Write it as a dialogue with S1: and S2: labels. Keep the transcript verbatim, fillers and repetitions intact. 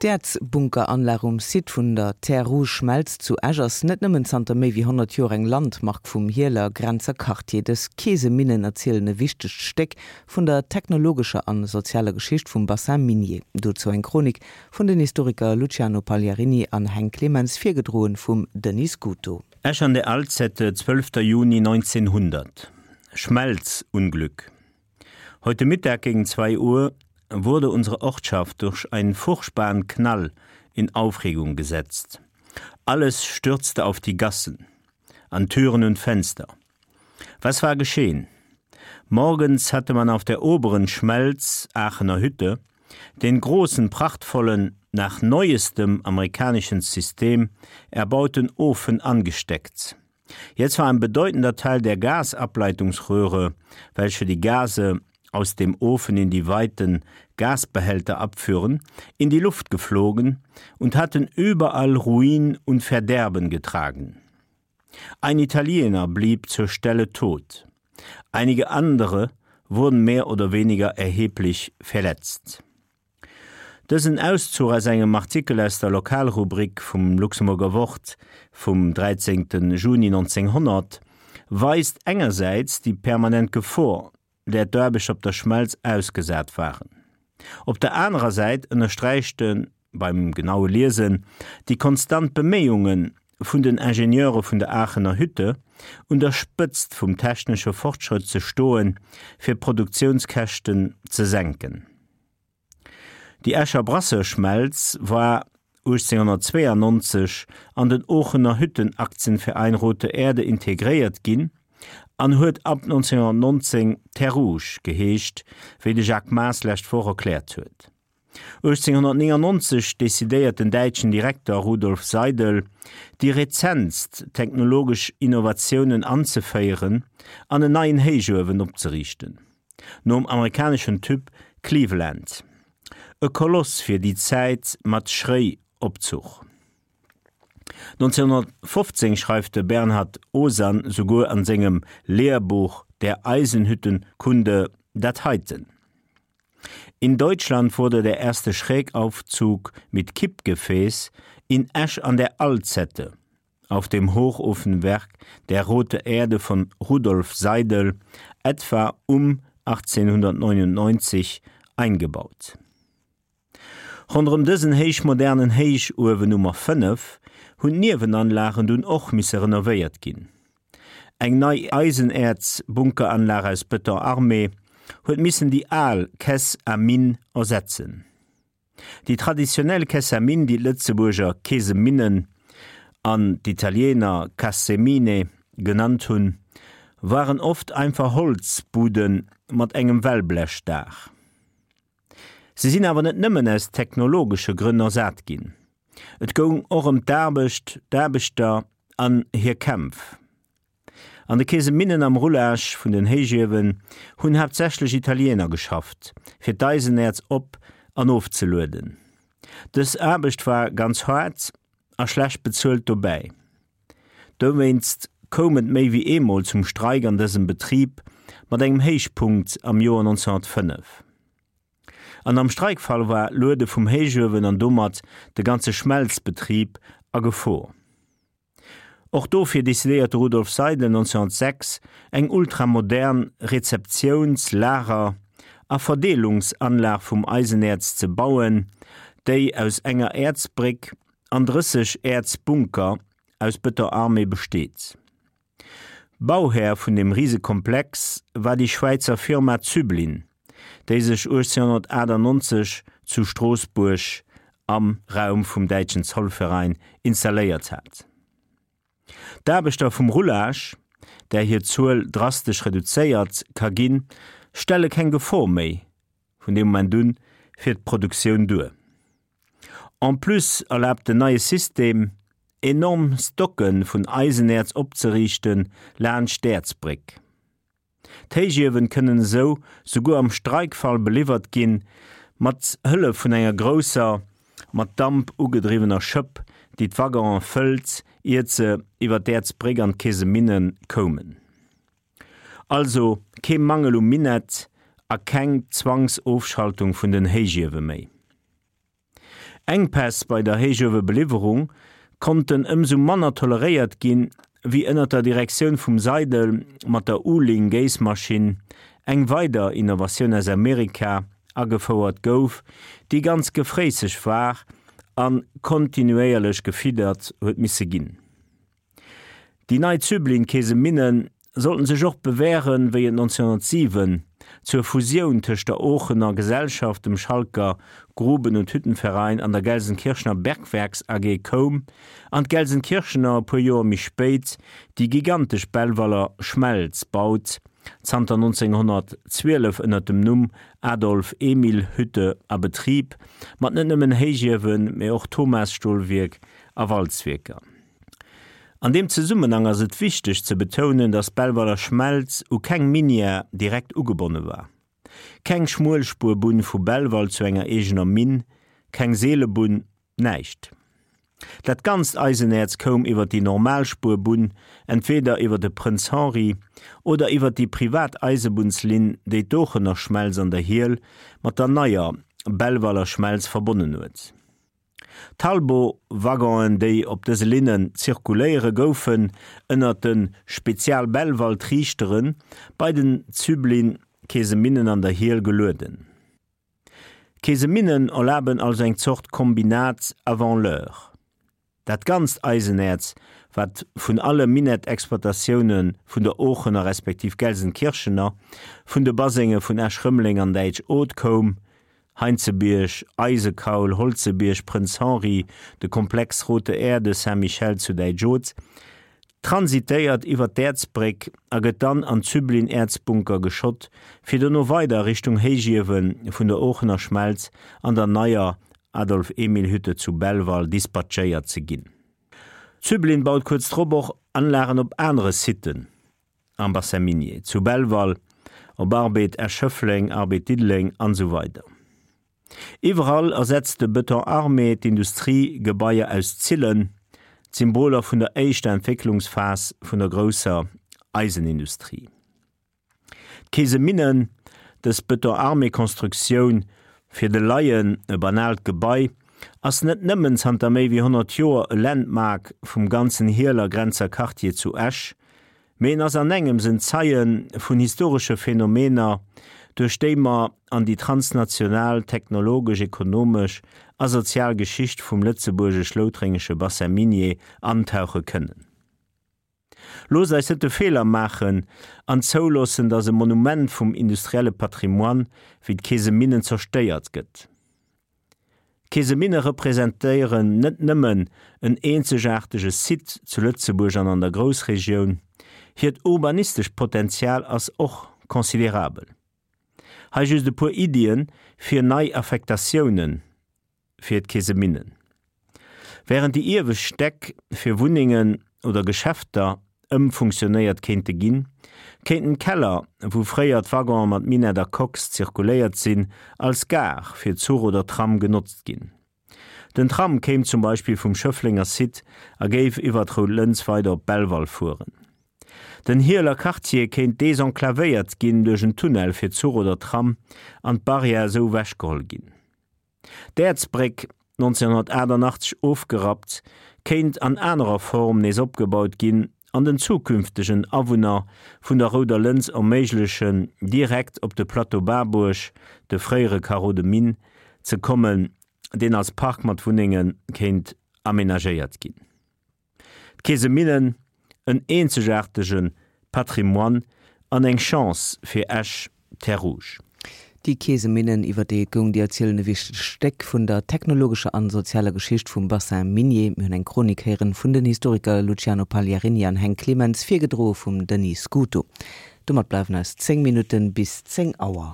S1: D'Äerzbunkeranlag um Site vun der Terre Rouge Schmelz zu Esch ass net nëmmen zanter méi wéi honnert Joer eng Landmark vum Hieler Grenzer Quartier. Dës Keeseminnen erzielen e wichtegt Stéck vun der technologescher an sozialer Geschicht vum Bassin minier. Dozou eng Chronik vun den Historiker Luciano Pagliarini an Heng Clemens, virgedroen vum Denis Scuto.
S2: Esch an der Alzette, zwölfter Juni neunzehnhundert. Schmelzunglück. Heute Mittag gegen zwei Uhr wurde unsere Ortschaft durch einen furchtbaren Knall in Aufregung gesetzt. Alles stürzte auf die Gassen, an Türen und Fenster. Was war geschehen? Morgens hatte man auf der oberen Schmelz Aachener Hütte den großen prachtvollen nach neuestem amerikanischen System erbauten Ofen angesteckt. Jetzt war ein bedeutender Teil der Gasableitungsröhre, welche die Gase aus dem Ofen in die weiten Gasbehälter abführen, in die Luft geflogen und hatten überall Ruin und Verderben getragen. Ein Italiener blieb zur Stelle tot. Einige andere wurden mehr oder weniger erheblich verletzt. Dësen Auszuch aus engem Artikel aus der Lokalrubrik vum Luxemburger Wort vum dräizéngten Juni neunzehnhundert weist engersäits déi permanent Gefor, där d'Aarbechter op der Schmelz ausgesat waren. Op der anerer Säit ënnersträicht e beim genaue Liesen déi konstant Beméiunge vun den Ingenieure vun der Aachener Hütte, un der Spëtzt vum technesche Fortschrëtt ze stoen, fir d'Produktiounskäschten ze senken. Déi Escher Brasseur-Schmelz war uechtzénghunnertzweeanonzeg an den Oochener Hüttenaktienverein Rote Erde integréiert ginn an huet ab neunzehnhunnertnonzéng Terre Rouge geheescht, wéi de Jacques Maas lescht Woch erkläert huet. uechtzénghunnertnéngannonzeg decidéiert den däitschen Direkter Rudolf Seidel, déi rezentst technologesch Innovatiounen anzeféieren an en neien Héichuewen opzeriichten, nom amerikaneschen Typ Cleveland, e Koloss fir déi Zäit mat Schréiopzuch. neunzehnhundertfofzéng schreift de Bernhard Osann souguer an sengem Lehrbuch Der Eisenhüttenkunde dat heiten: In Deutschland wurde der erste Schrägaufzug mit Kippgefäß in Esch an der Alzette auf dem Hochofenwerk der Rote Erde von Rudolf Seidel etwa um achtzehnhundertneunundneunzig eingebaut. Ronderëm dësen héichmodernen Héichuewen Nummer fënnef hunn d'Niewenanlagen dunn och misse renovéiert ginn. Eng nei Eisenäerz-Bunkeranlag aus Beton armé huet missen déi al Caisse à mines ersetzen. Déi traditionell Caisse à mines, déi d'Lëtzebuerger Keeseminnen an d'Italiener Cassemine genannt hunn, waren oft einfach Holzbuden mat engem Wellblechdaach. Se sinn awer net nëmmen aus technologesche Grënn ersat ginn. Et goung och ëm d'Aarbecht, d'Aarbechter an hir Kämpf. An de Keeseminnen am Roulage vun den Héichiewen hunn haaptsächlech Italiener geschafft, fir d'Eisenäerz op an ofzelueden. Dës Aarbecht war ganz haart a schlecht bezuelt dobäi. Dowéinst koum et méi wéi eemol zum Streik an dësem Betrib, mat engem Héichpunkt am Joer neunzehnhunnertfënnef. An am Streikfall war d'Luede vum Héichuewen an domat de ganze Schmelzbetrib a Gefor. Och dofir decidéiert de Rudolf Seidel neunzehnhunnertsechs eng ultramodern Rezeptiouns-, Lager a Verdeelungsanlag vum Eisenäerz ze bauen, déi aus enger Äerzbréck an drësseg Äerzbunker aus Beton armé besteet. Bauhär vun dem Risekomplex war déi Schwäizer Firma Züblin, déi sech uechtzénhunnertachtannonzeg zu Stroossbuerg am Raum vum Däitschen Zollverein installéiert hat. D'Aarbechter vum Roulage, där hir Zuel drastesch reduzéiert ka ginn, stelle keng Gefor méi vun deem Moment un fir d'Produktioun duer. En plus erlaabt den neie System, enorm Stocke vun Eisenäerz opzeriichte laanscht d'Äerzbréck. D'Héichiewen kënnen esou souguer am Streikfall beliwwert ginn, mat Hëllef vun enger grousser, mat Damp ugedriwwener Schëpp, déi d'Waggonen fëllt, iert se iwwer d'Äerzbréck an d'Keeseminne koumen. Also kee Mangel um Minett a keng Zwangsofschaltung vun den Héichiewe méi. Enkpäss bei der Héichuewebeliwwerung konnten ëmsou manner toleréiert ginn, wéi ënner der Direktioun vum Seidel mat der Uhling-Géissmaschinn eng weider Innovatioun aus Amerika agefouert gouf, déi ganz gefréisseg war a kontinuéierlech gefiddert huet misse ginn. Déi nei Züblin-Keeseminne sollten sech och bewähren, wéi et neunzehnhundertsiwen zur Fusioun tëscht der Oochener Gesellschaft, dem Schalker Gruben und Hüttenverein an der Gelsenkirchener Bergwerks A G koum an d'Gelsenkirchener e puer Joer méi spéit déi gigantesch Belvaler Schmelz baut, zanter neunzehnhundertzwielef ënner dem Numm Adolf-Emil-Hütte a Betrib, mat net nëmmen Héichiewen, mee och Thomas-Stolwierk a Walzwierker. An deem Zesummenhang ass et wichteg ze betounen, dass d'Belvaler Schmelz u keng Minière direkt ugebonne war. Keng Schmuelspurbunn vu Belval zu enger eegener Minn, keng Seelebunn, näischt. Dat ganzt Eisenäerz koum iwwer déi normal Spuerbunn, entweeder iwwer de Prënz Henri oder iwwer déi privat Eisebunnslinn, déi d'Oochener Schmelz an der Hiel mat der neier Belvaler Schmelz verbonnen huet. D'Talbo-Waggonen, déi op dëse Linnen zirkuléiere, goufen ënner de Spezial-Belval-Triichtere bei den Züblin-Keeseminnen an der Hiel gelueden. D'Keeseminnen erlaben also eng Zort Kombinat avant l'heure. Dat ganzt Eisenäerz, wat vun alle Minettexploitatioune vun der Oochener respektiv Gelsenkirchener, vun de Basenge vun Esch-Rëmeleng an Däitsch-Oth koum, Heinzebierg, Eisekaul, Holzebierg, Prënz Henri, de Komplex Rote Erde, Saint-Michel zu Däitsch-Oth, transitéiert iwwer d'Äerzbréck a gëtt dann an d'Züblin-Äerzbunker geschott, fir dono weider Richtung Héichiewe vun der Oochener Schmelz an der neier Adolf-Emil-Hütte zu Belval dispatchéiert ze ginn. Züblin baut kuerz drop och Anlagen op anere Sitten am Bassin minier, zu Belval, op Arbed Esch-Schëffleng, Arbed Diddeleng an esou weider. Iwwerall ersetzt de Beton armé d'Industriegebaier aus Zillen, d'Symboler vun der éischter Entwécklungsphas vun der grousser Eisenindustrie. D'Keeseminnen, dës Beton armé Konstruktioun, fir de Laien e banaalt Gebai, ass net nëmmen zanter méi wéi honnert Joer e Landmark vum ganzen Hieler Grenzer Quartier zu Esch, mee en ass an engems en Zeie vun historesche Phänomener, duerch déi mer an déi transnational technologesch, ekonomesch a sozial Geschicht vum lëtzebuergesch-loutrengesche Bassin minier antauche kënnen. Loosst eis net de Feeler maachen an zouloossen, datt e Monument vum industrielle Patrimoine wéi d'Keeseminnen zerstéiert gëtt. D'Keeseminne representéieren net nëmmen en eenzegaartege Site zu Lëtzebuerg an an der Groussregioun, hiert urbanistescht Potenzial ass och considerabel. Hei just e puer Iddien fir nei Affektatiounen fir d'Keeseminnen. Wärend déi iewescht Stäck fir Wunnengen oder Geschäfter ëmfunktionéiert kéinte ginn, kéinten d'Keller, wou fréier d'Waggonen mat Minett a Kox zirkuléiert sinn, als Gare fir Zuch oder Tram genotzt ginn. Den Tram kéim zum Beispill vum Schëfflenger Site a géif iwwer d'Rout Lëns weider op Belval fueren. Den Hieler Quartier kéint desenclavéiert ginn duerch en Tunnel fir Zuch oder Tram an d'Barrière esou ewechgeholl ginn. D'Äerzbréck, nonzénhunnertachtannachtzeg ofgerappt, kéint an anerer Form nees opgebaut ginn an den zukünftegen Awunner vun der Rouder Lëns erméiglechen, direkt op de Plateau Berbuerg, de fréiere Carreau de Mine, ze kommen, deen als Park mat Wunnenge kéint amenagéiert ginn. D'Keeseminnen, en eenzegaartege Patrimoine an eng Chance fir Esch, Terres Rouges.
S1: Déi Keeseminnen, iwwer déi et goung, déi erzielen e wichtegt Stéck vun der technologescher an sozialer Geschicht vum Bassin minier. Mir hunn eng Chronik héieren vun den Historiker Luciano Pagliarini an Heng Clemens, virgedroe vum Denis Scuto. Domat bleiwen eis zéng Minutten bis zéng Auer.